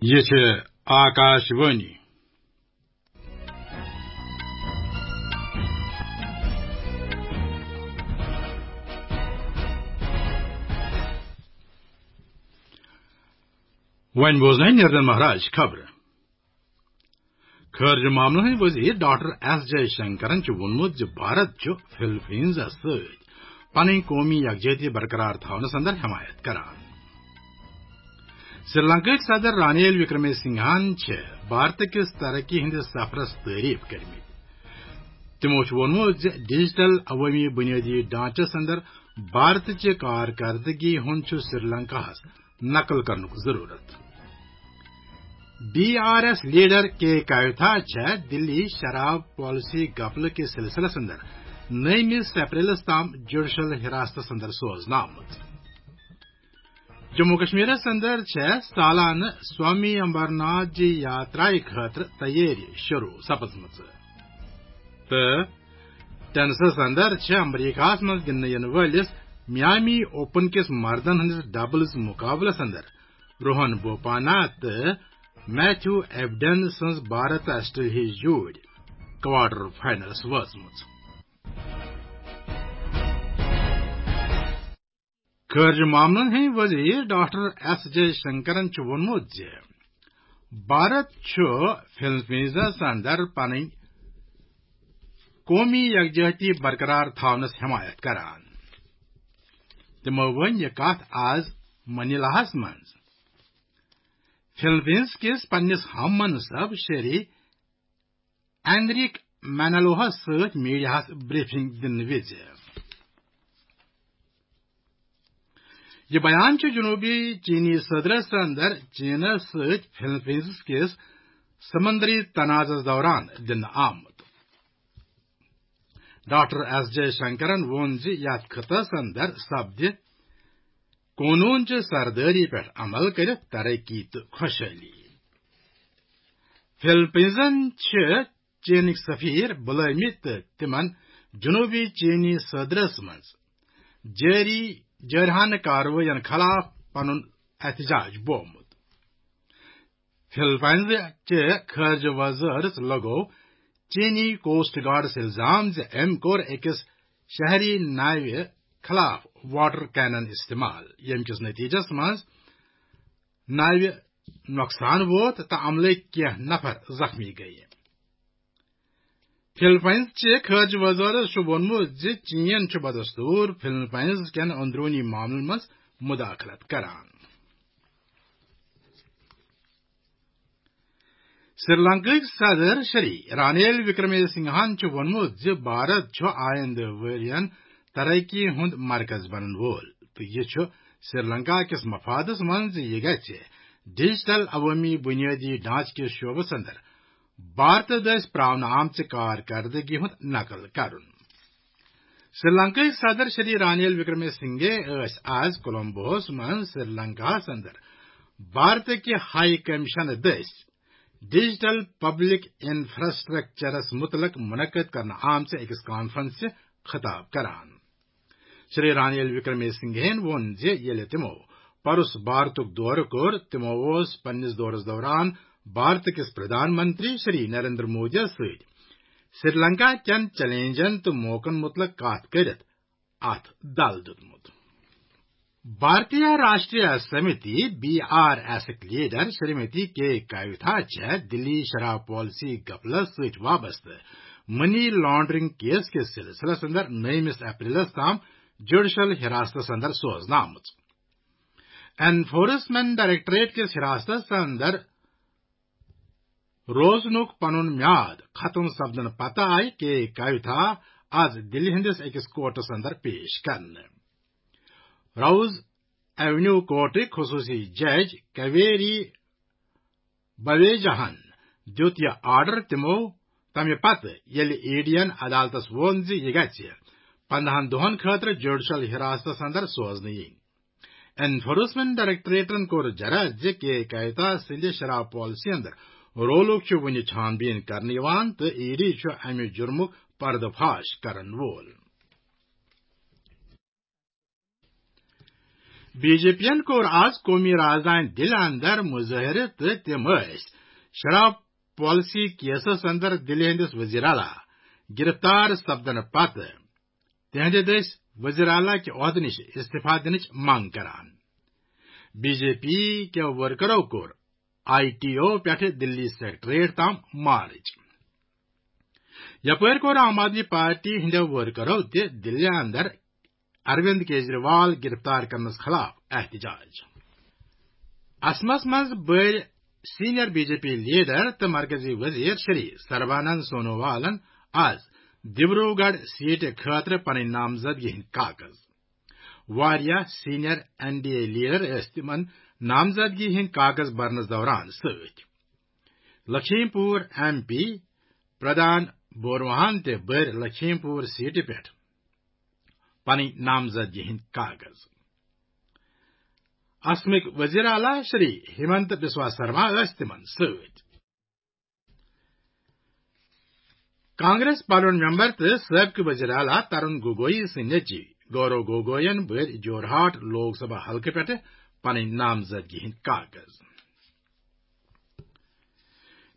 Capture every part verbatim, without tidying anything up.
یہِ چھِ آکاش وانی۔ وۄنۍ بوزنٲوۍ نیردن مہراج خبرٕ۔ خارجہ معاملن ہٕنٛدۍ وزیر ڈاکٹر ایس جے شنکرن چھُ ووٚنمُت زِ بھارت چھُ فلپینزس سۭتۍ پنٕنۍ قومی یکجہتی برقرار تھاونس اندر حمایت کران۔ سری لنکاہٕکۍ صدر رانیل وکرمے سنگھاہن چھِ بھارت کِس ترقی ہٕنٛدِس سفرس تعریف کٔرمٕتۍ۔ تِمو چھُ ووٚنمُت زِ ڈیجیٹل عوٲمی بنیٲدی ڈھانچس اندر بھارت چہِ کارکردگی ہُنٛد چھُ سری لنکاہس نقل کرنُک ضروٗرت۔ بی آر ایس لیڈر کے کویتھا چھےٚ دِلی شراب پالیسی گپلہٕ کِس سلسلس اندر نٔیمِس اپریلس تام جوڈیشل حراستس اندر سوزنہٕ آمٕژ۔ جموں کشمیرس اندر چھےٚ سالانہٕ سوامی امبرناتھ جی یاترایہِ خٲطرٕ تیٲری شروع سپٕزمٕژ۔ تہٕ ٹینسس اندر چھےٚ امریکہس منٛز گِنٛدنہٕ یِنہٕ وٲلِس میامی اوپن کِس مردن ہٕنٛدِس ڈبلز مقابلس اندر روہن بوپانا تہٕ میتھیو ایبڈن سٕنٛز بھارت آسٹریلیا ہٕچ جوڑی کوارٹر فائنلس وٲژمٕژ۔ خارجہ معاملن ہٕنٛدۍ وزیر ڈاکٹر ایس جے شنکرن چھُ ووٚنمُت زِ بھارت چھُ فلپینزس اندر پنٕنۍ قومی یکجہتی برقرار تھاونس حمایت کران۔ تِمو ؤنۍ یہِ کتھ آز منیلاہس منٛز فلپینز کِس پننِس ہم منصب شری اینریک مینالوہس سۭتۍ میڈیاہس بریفنگ دِنہٕ وِزِ۔ یہِ بیان چھُ جنوبی چینی صدرس اندر چینس سۭتۍ فلپینز کِس سمندری تنازعس دوران دِنہٕ آمُت۔ ڈاکٹر ایس جے شنکرن ووٚن زِ یتھ خطس اندر سپدِ قونوٗن چہِ سردٲری پٮ۪ٹھ عمل کٔرِتھ ترقی تہٕ خۄشحٲلی۔ فلپینزن چھِ چینٕکۍ سفیر بُلٲومٕتۍ تہٕ تِمن جنوبی چینی صدرس منٛز جٲری جٲرحانہٕ کاروٲیین خلاف پنُن احتجاج بوومُت۔ فلپائنز چہِ خارجہ وزارت لگوو چینی کوسٹ گارڈس الزام زِ أمۍ کوٚر أکِس شہری ناوِ خلاف واٹر کینن استعمال، ییٚمہِ کِس نتیجس منٛز ناوِ نۄقصان ووت تہٕ عملٕکۍ کینٛہہ نفر زخمی گٔیہِ۔ فلپائنز چہِ خارجہ وزارت چھُ ووٚنمُت زِ چین چھُ بدستور فلپائنز کٮ۪ن اندروٗنی معاملن منٛز مداخلت کران۔ سری لنکاہٕکۍ صدر شری رانیل وکرمے سنگھاہن چھُ ووٚنمُت زِ بھارت چھُ آیندٕ ؤرین ترقی ہُنٛد مرکز بنن وول تہٕ یہِ چھُ سری لنکا کِس مفادس منٛز زِ یہِ گژھِ ڈیجیٹل عوٲمی بنیٲدی ڈھانچہٕ کِس شعبس اندر بھارتہٕ دٔسۍ پراونہٕ آمژِ کارکردگی ہُنٛد نقل کرُن۔ سری لنکاہٕکۍ صدر شری رانیل وکرمے سنگھے ٲسۍ آز کولمبوہس منٛز سری لنکاہس اندر بھارتہٕ کہِ ہائی کمیشن دٔسۍ ڈیجیٹل پبلک انفراسٹرکچرس متعلق منعقد کرنہٕ آمژِ أکِس کانفرنسہِ خطاب کران۔ شری رانیل وکرمے سنگھین ووٚن زِ ییٚلہِ تِمو پروس بھارتُک دورٕ کوٚر، تِمو اوس پننِس دورس دوران بھارت کِس پردھان منتری شری نریندر مودیَس سۭتۍ سری لنکا کٮ۪ن چیلنجن تہٕ موقعن متعلق کتھ کٔرِتھ اتھ دل دیُتمُت۔ بھارتیہ راشٹریہ سمیتی، بی آر ایسٕکۍ لیڈر شریمتی کے کویتھا چھےٚ دلی شراب پالیسی گپلس سۭتۍ وابستہٕ منی لانڈرنگ کیس کِس سلسلس اندر نٔیمِس اپریلس تام جوڈیشل حراستس اندر سوزنہٕ آمٕژ۔ انفورسمنٹ ڈائریکٹوریٹ کِس حراستس اندر روزنُک پنُن میعاد ختم سپدنہٕ پتہٕ آیہِ کے کویتھا آز دِلہِ ہٕنٛدِس أکِس کورٹس اندر پیش کرنہٕ۔ راوز ایونیو کورٹٕکۍ خصوٗصی جج کویری بویجاہن دیُت یہِ آرڈر تِمو تمہِ پتہٕ ییٚلہِ ای ڈی ین عدالتس ووٚن زِ یہِ گژھِ پندہن دۄہن خٲطرٕ جوڈیشل حراستس اندر سوزنہٕ یِنۍ۔ انفورسمنٹ ڈائریکٹوریٹن کوٚر جرا زِ کے کویتھا سٕنٛدِ شراب پالیسی اندر رولُک چھُ وُنہِ چھان بیٖن کرنہٕ یِوان تہٕ ای ڈی چھُ امہِ جرمُک پردٕ فاش کرن وول۔ بی جے پی ین کوٚر آز قومی راجدھانی دِلہِ اندر مظٲہرٕ تہٕ تِم ٲسۍ شراب پالیسی کیسس اندر دِلہِ ہٕنٛدِس وزیر اعلیٰ گرفتار سپدنہٕ پتہٕ تِہنٛدِ دٔسۍ وزیر اعلیٰ کہِ عہدٕ نِش استعفیٰ دِنٕچ منٛگ کران۔ بی جے پی کیو ورکرو کوٚر آئی ٹی او پٮ۪ٹھٕ دِلی سیکرٹریٹ تام مارٕچ۔ یپٲرۍ کوٚر عام آدمی پارٹی ہٕنٛدیو ورکرو تہِ دِلہِ اندر اروند کیجریوال گرفتار کرنس خلاف احتجاج۔ اسمس منٛز بٔرۍ senior B J P leader تہٕ مرکزی وزیر شری سربانند سونووالن آز دیبروگڑھ سیٹہِ خٲطرٕ پنٕنۍ نامزدگی ہٕنٛدۍ کاغذ۔ واریاہ senior N D A leader ٲسۍ تِمن نامزدگی ہٕنٛدۍ کاغذ برنس دوران سۭتۍ۔ لکھیم پور ایم پی پردھان بوروہان تہِ بٔرۍ لکھیم پور سیٹہِ پٮ۪ٹھ پنٕنۍ نامزدگی ہٕنٛدۍ کاغذ۔ اسمٕکۍ وزیر اعلیٰ شری ہمنت بسوا سرما ٲسۍ تِمن سۭتۍ۔ کانگریس پارلیمنٹ ممبر تہٕ سٲبقہٕ وزیر اعلیٰ ترون گوگوئی سٕنٛدۍ نیٚچی گورو گوگوین بٔرۍ جورہاٹ لوک سبھا حلقہٕ پٮ۪ٹھٕ پنٕنۍ نامزدگی ہٕنٛدۍ کاغذ۔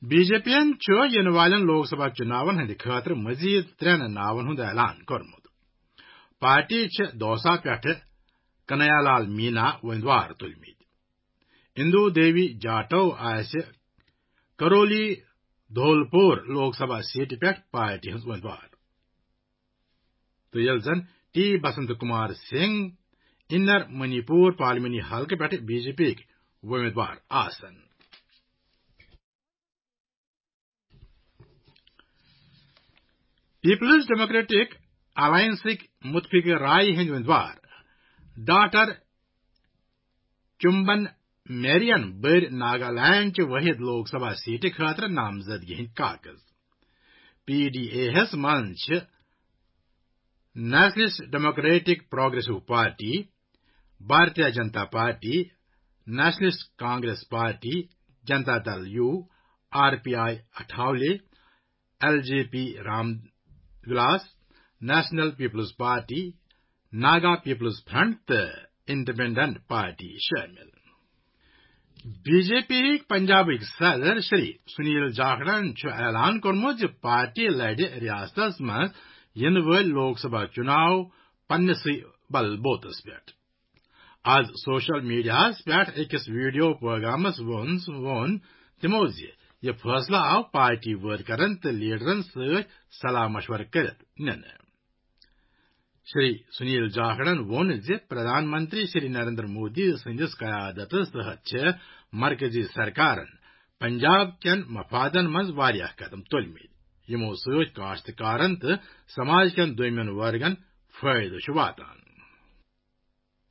بی جے پی ین چھُ یِنہٕ والٮ۪ن لوک سبھا چُناون ہٕنٛدِ خٲطرٕ مزید ترٛٮ۪ن ناون ہُنٛد اعلان کوٚرمُت۔ پارٹی چھِ دوسا پٮ۪ٹھٕ کنیا لال مینا وۄمیدوار تُلمٕتۍ۔ اندو دیوی جاٹو آسہِ کرولی دھولپور لوک سبھا سیٹہِ پٮ۪ٹھ پارٹی ہٕنٛز وۄمیدوار۔ تہٕ ییٚلہِ زن ٹی بسنت کمار سنگھ انر منی پور پارلیمانی حلقہٕ پٮ۪ٹھ بی جے پی یِکۍ وۄمیدوار آسن۔ پیپلز ڈیموکریٹک الائنسٕکۍ متفق رائے ہٕنٛدۍ وۄمیدوار ڈاکٹر چمبن میرین بٔرۍ ناگالینڈ چہِ وٲحد لوک سبھا سیٹہِ خٲطرٕ نامزدگی ہٕنٛدۍ کاغذ۔ پی ڈی اے ہس منٛز چھِ nationalist democratic progressive party, Bharatiya Janata party, nationalist congress party, Janata Dal U, R P I Athawale, L J P Ram Vilas, national people's party, Naga people's front تہٕ انڈیپینڈنٹ پارٹی شٲمِل۔ بی جے پی یِکۍ پنجابٕکۍ صدر شری سنیل جاکھڑن چھُ اعلان کوٚرمُت زِ پارٹی لڑِ ریاستس منٛز یِنہٕ وٲلۍ لوک سبھا چُناو پننِسٕے بل بوتس پٮ۪ٹھ۔ آز سوشل میڈیاہس پٮ۪ٹھ أکِس ویڈیو پیغامس منٛز ووٚن تِمو زِ یہِ فٲصلہٕ آو پارٹی ورکرن تہٕ لیڈرن سۭتۍ صلاح مشورٕ کٔرِتھ نِنہٕ۔ شری سنیل جاکھڑن ووٚن زِ پردھان منتری شری نریندر مودی سٕنٛدِس قیادتس تحت چھِ مرکزی سرکارن پنجاب کٮ۪ن مفادن منٛز واریاہ قدم تُلمٕتۍ، یِمو سۭتۍ کاشتکارن تہٕ سماج کٮ۪ن دوٚیمٮ۪ن ورگن فٲیدٕ چھُ واتان۔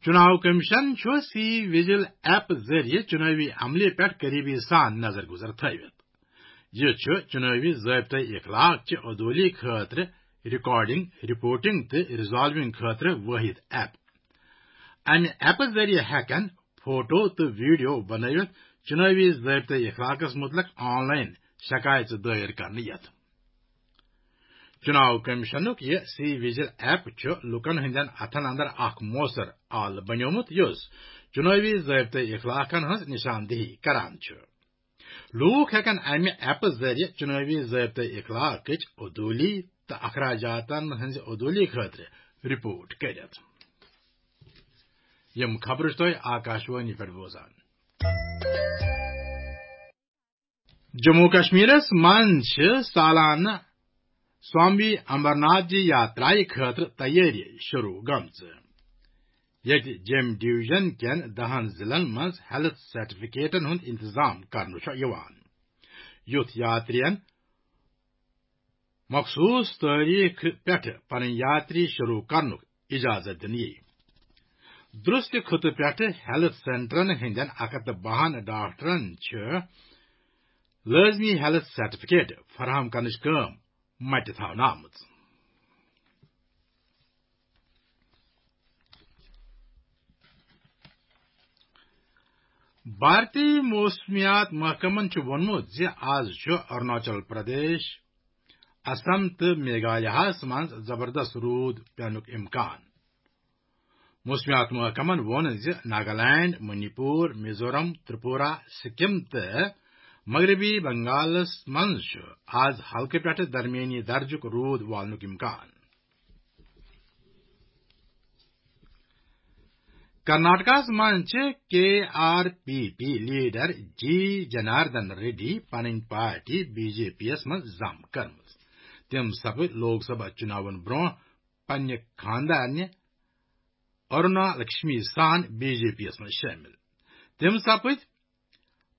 چُناو کمیشن چھُ سی وجل ایپ ذٔریعہٕ چُنٲوی عملہِ پٮ۪ٹھ قریبی سان نظر گزر تھٲوِتھ۔ یہِ چھُ چُنٲوی ضٲبطہٕ اخلاق چہِ عدوٗلی خٲطرٕ ریکارڈنگ، رپورٹنگ تہٕ ریزالونگ خٲطرٕ وٲحد ایپ۔ امہِ ایپہٕ ذٔریعہٕ ہٮ۪کن فوٹو تہٕ ویڈیو بنٲوِتھ چُنٲوی ضٲبطہٕ اخلاقس مُتعلق آن لائن شکایژٕ دٲیر کرنہٕ یِتھ۔ چُناو کمیشنُک یہِ سی وجل ایپ چھُ لوٗکن ہٕنٛدٮ۪ن اتھن اندر اکھ موثر آلہٕ بنیومُت، یُس چُنٲوی ضٲبطہٕ اخلاقن ہٕنٛز نشاندہی کران چھُ۔ لوٗکھ ہٮ۪کن امہِ ایپہٕ ذٔریعہٕ چُنٲوی ضٲبطہٕ اخلاقٕچ عدوٗلی تہٕ اخراجاتن ہٕنٛزِ عدوٗلی خٲطرٕ رپورٹ کٔرِتھ۔ یِم خبرٕ چھِ تُہۍ آکاشوانی پٮ۪ٹھ بوزان۔ جموں کشمیرس منٛز چھِ سالانہٕ سوامی امرناتھ جی یاترایہِ خٲطرٕ تیٲری شروع گٔمژٕ، ییٚتہِ جیٚمۍ ڈویژن کٮ۪ن دَہن ضلعن منٛز ہیلتھ سرٹیفکیٹن ہُنٛد انتظام کرنہٕ چھُ یِوان۔ یُتھ یاترین مخصوص تٲریخ پٮ۪ٹھ پنٕنۍ یاتری شروع کرنُک اجازت دِنہٕ یِیہِ۔ درست خطہٕ پٮ۪ٹھ ہیلتھ سینٹرن ہٕنٛدٮ۪ن اکھ ہتھ تہٕ بَہَن ڈاکٹرن چھِ لٲزمی ہیلتھ سرٹیفکیٹ فراہم کرنٕچ کٲم متہِ تھاونہٕ آمٕژ۔ بھارتی موسمیات محکمن چھُ ووٚنمُت زِ آز چھُ اروناچل پردیش، اسم تہٕ میگھالیاہس منٛز زبردست روٗد پینُک امکان۔ موسمیات محکمن ووٚن زِ ناگالینڈ، منی پور، میزورم، ترپورہ، سکم تہٕ مغربی بنگالس منٛز چھُ آز ہلکہٕ پٮ۪ٹھٕ درمیٲنی درجُک روٗد والنُک امکان۔ کرناٹکس منٛز چھِ کے آر پی پی لیڈر جی جناردن ریڈی پنٕنۍ پارٹی بی جے پی یس منٛز ضم کٔرمٕژ۔ تِم سپٕدۍ لوک سبھا چُناون برٛونٛہہ پننہِ خاندارنہِ ارونا لکشمی سان بی جے پی یس منٛز شٲمِل۔ تِم سپٕدۍ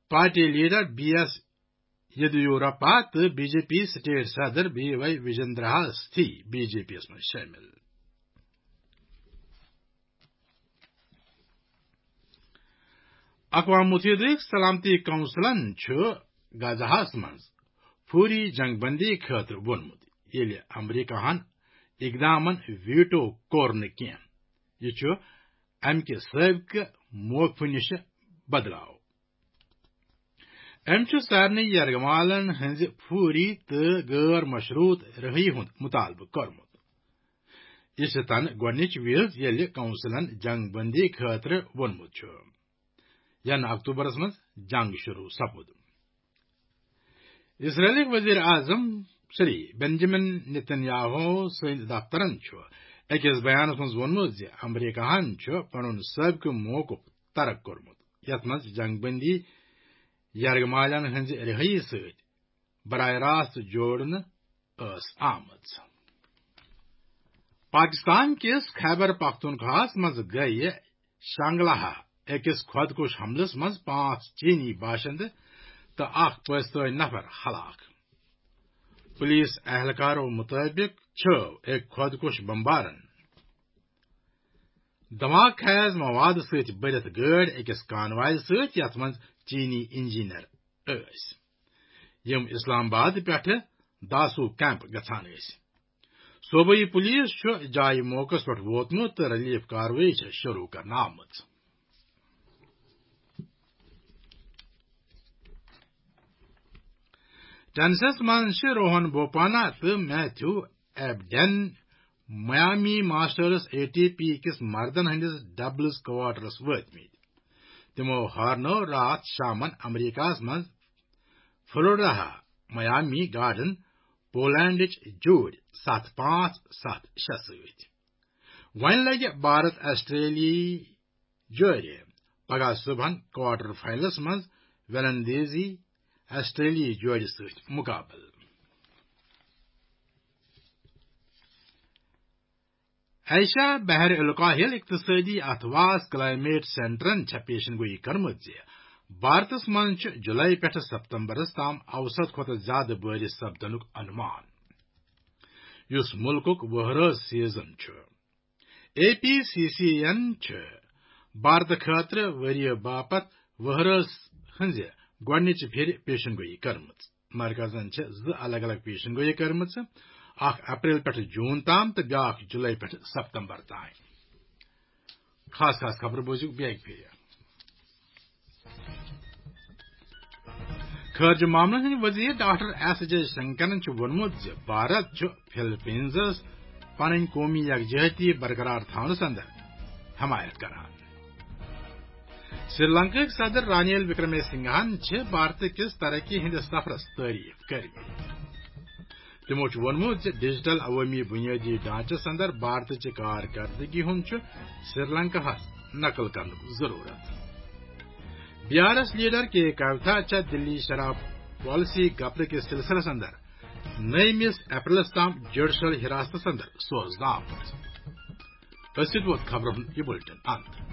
party leader B S Yediyurappa تہٕ بی جے پی سٹیٹ صدر بی وائی وجندرا ہس تھی بی جے پی یس منٛز شٲمِل۔ اقوام متحدٕکۍ سلامتی کونسلن چھُ غزہَس منٛز فوری جنگ بندی خٲطرٕ ووٚنمُت، ییٚلہِ امریکہَن اقدامن ویٹو کوٚر نہٕ کینٛہہ۔ یہِ چھُ امہِ کہِ سٲبقہٕ موقفہٕ نِش بدلاو۔ أمۍ چھُ سارنٕے یرغمالن ہٕنٛزِ فوری تہٕ غٲر مشروط رہٲیی ہُنٛد مطالبہٕ کوٚرمُت۔ یہِ چھِ تَنہٕ گۄڈٕنِچ وِز، ییٚلہِ کونسلن جنگ بندی خٲطرٕ ووٚنمُت چھُ، یَنہٕ اکتوبرس منٛز جنگ شروع سپُد۔ اسرائیلٕکۍ وزیر اعظم شری بنجمن نتن یاہو سٕنٛدۍ دفترن چھُ أکِس بیانس منٛز ووٚنمُت زِ امریکہَن چھُ پنُن سٲبقہٕ موقف ترک کوٚرمُت، یَتھ منٛز جنگ بندی یرغمالن ہٕنٛزِ رہٲیی سۭتۍ براہ راست جوڑنہٕ ٲس آمٕژ۔ پاکستان کِس خیبر پختونخواہَس منٛز گٔیہِ شانگلاہا أکِس خۄدکُش حملس منٛز پانٛژھ چینی باشندٕ تہٕ اکھ پٲکِستٲنۍ نفر ہلاک۔ پولیس اہلکارو مُطٲبِق چھُ أکۍ خۄدکُش بمبارن دھماکہٕ خیز مواد سۭتۍ بٔرِتھ گٲڑۍ أکِس کانوایہِ سۭتۍ، یَتھ منٛز چینی انجینئر ٲسۍ، یِم اسلام آباد پٮ۪ٹھٕ داسو کیمپ گژھان ٲسۍ۔ صوبٲئی پولیس چھُ جایہِ موقعس پٮ۪ٹھ ووتمُت تہٕ ریلیف کاروٲیی چھےٚ شروع کرنہٕ آمٕژ۔ ٹینسس منٛز چھِ روہن بوپانا تہٕ Matthew Ebden Miami masters A T P کِس مردن ہٕنٛدِس ڈبلز کوارٹرس وٲتمٕتۍ۔ تِمو ہارنٲو راتھ شامن امریکہس منٛز فلوریڈاہا میامی گارڈن پولینڈٕچ جوڑۍ ستھ پانٛژھ ستھ شےٚ سۭتۍ۔ وۄنۍ لگہِ بھارت آسٹریلیاہٕے جٲری۔ پگاہ صبحن کوارٹر فائنلس منٛز ویلندیزی آسٹریلیاہٕے جوڑِ سۭتۍ مقابلہٕ۔ ایشیا بحر الکاہل اقتصٲدی اَتھٕ واس کلائمیٹ سینٹرن چھےٚ پیشن گویی کٔرمٕژ زِ بھارتس منٛز چھُ جولائی پٮ۪ٹھٕ ستمبرس تام اوسط کھۄتہٕ زیادٕ بٲرِش سپدنُک انُمان، یُس مُلکُک وہرٲژ سیزن چھُ۔ اے پی سی سی یَن چھِ بھارتہٕ خٲطرٕ ؤریہِ باپتھ وہرٲژ ہٕنٛزِ گۄڈٕنِچہِ پھِرِ پیشن گویی کٔرمٕژ۔ مرکزن چھِ زٕ الگ الگ پیشن گویی کٔرمٕژ، اکھ اپریل پٮ۪ٹھٕ جون تام تہٕ بیٛاکھ جولائی پٮ۪ٹھٕ ستمبر تام۔ خاص خاص خبرٕ بوٗزِو بیٚیہِ اَکہِ پھِرِ۔ خارجہ معاملن ہٕنٛدۍ وزیر ڈاکٹر ایس جے شنکرن چھُ ووٚنمُت زِ بھارت چھُ فلپینزس پنٕنۍ قومی یکجہتی برقرار تھاونس اندر حمایت کران۔ سری لنکاہٕکۍ صدر رانیل وکرمے سنگھاہن چھِ بھارت کِس ترقی ہٕنٛدِس سفرس تعریف کٔرمٕژ۔ تِمو چھُ ووٚنمُت زِ ڈیجیٹل عوٲمی بُنیٲدی ڈھانچس اندر بھارتٕچہِ کارکردگی ہُنٛد چھُ سری لنکاہس نقل کرنُک ضرورت۔ بی آر ایس لیڈر کے کوتھا چھےٚ دلی شراب پالیسی گپلہٕ کِس سلسلس اندر نٔیمِس اپریلس تام جوڈیشل حراستس اندر سوزنہٕ آمٕژ۔ أتھۍ سۭتۍ ووت خبرن ہُنٛد یہِ بُلٹن اند۔